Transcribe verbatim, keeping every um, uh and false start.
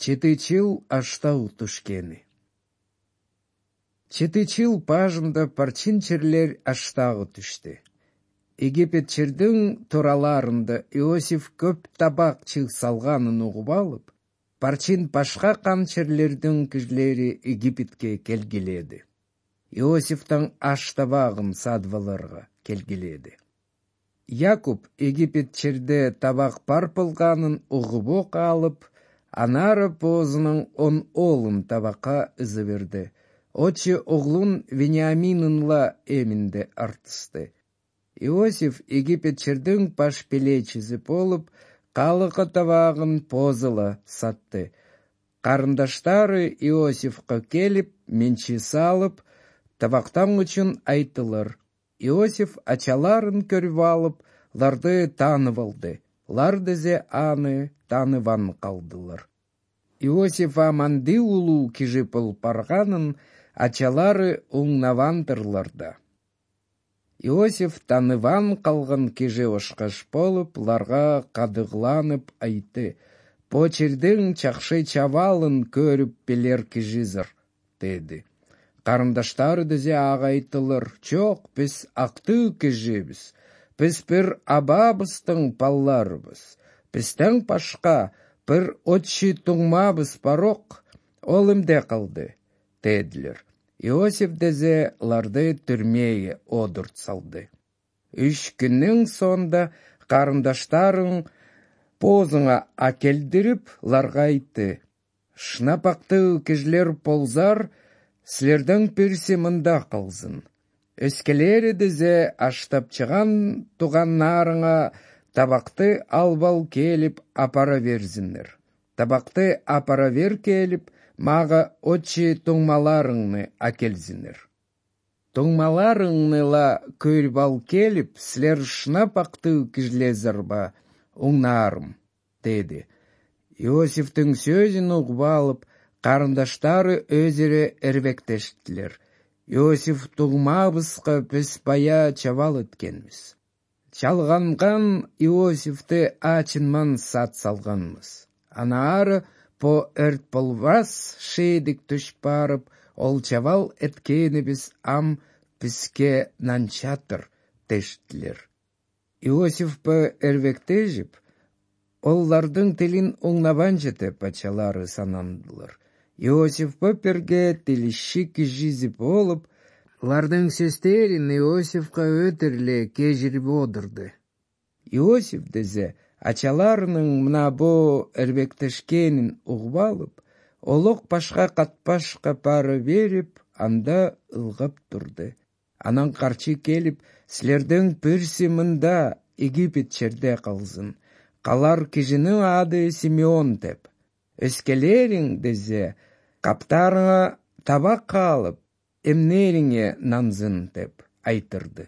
Четычыл аштау тушкени. Четычыл пажында парчинчерлер аштагы түштү. Египетчердин тураларында Иосиф көп табак чыг салганын угуп алып, парчин башка канчерлердин кишилери Египетке келгиледи. Иосифтан аш табагын садваларга келгиледи. Якуб Египетчерде табак бар болганын угуп алып, анары позунун он оолун табакка ызы берди. Очи оглун Вениаминынла эминде артысты. Иосиф Египетчердин баш белечиси болуп, калыкы табагын позыла сатты. Карындаштары Иосифка келип, менчи салып, табактан үчүн айтылар. Иосиф ачаларын көрүп алып, ларды таанып алды. Лар дезе аны тааныбан калдылар. Иосиф аманды улуу киши болуп барганын ачалары уңнавандырлар да. Иосиф тааныбан калган киши ошкош болуп, ларга кадыгланып айтты: «Бу чердин чакшы чабалын көрүп билер кишизир», деди. Карындаштары дезе ага айтылар: «Жок, биз актыы кишибиз. Биз бир абабыздын балларыбыз. Бизден башка бир отчи туңмабыз барок, ол эмне кылды?» дедилер. Иосиф дезе ларды түрмөөгө одурт салды. Үч күндүн сонунда карындаштарын позуңа акелдирип, ларга айтты: «Шынапактуу кишилер болзар, силерден бирси мында калсын. Өскелери дезе аштапчыган туганнарыңа табакты албал келип апара берсиңер. Табакты апара бер келип, мага отчи туңмаларыңны акелсиңер. Туңмаларыңныла көрүп ал келип, силер шынапактуу кишилерсиңер ба, уңнаарым», деди. Иосифтин сөзүн угуп алып, карындаштары өзүрө эрбектештилер. «Иосиф туңмабызга биз бая чабал эткенбиз. Чалганган Иосифти ачынман сат салганбыз. Анары по өрт болбас шеедик түш барып, ол чабал эткенибиз ам бизге нанчатыр», дештилер. Иосиф по эрбектешип, оллардын тилин уңнабанчы деп ачалары санандылар. Иосиф по перге тилиши кишиси болуп, лардын сөздөрүн Иосифка өтүрлө кежирип одурду. Иосиф дезе ачаларынын мына бу эрбектешкенин угуп алып, олок башка катпашка пары берип, анда ылгап турду. Анан карчы келип, силерден бирси мында Египетчерде калсын. Калар кишинин аты Симеон деп. Өскелериң дезе каптарыңа табак алып, эмнериңе нансын деп айтырды.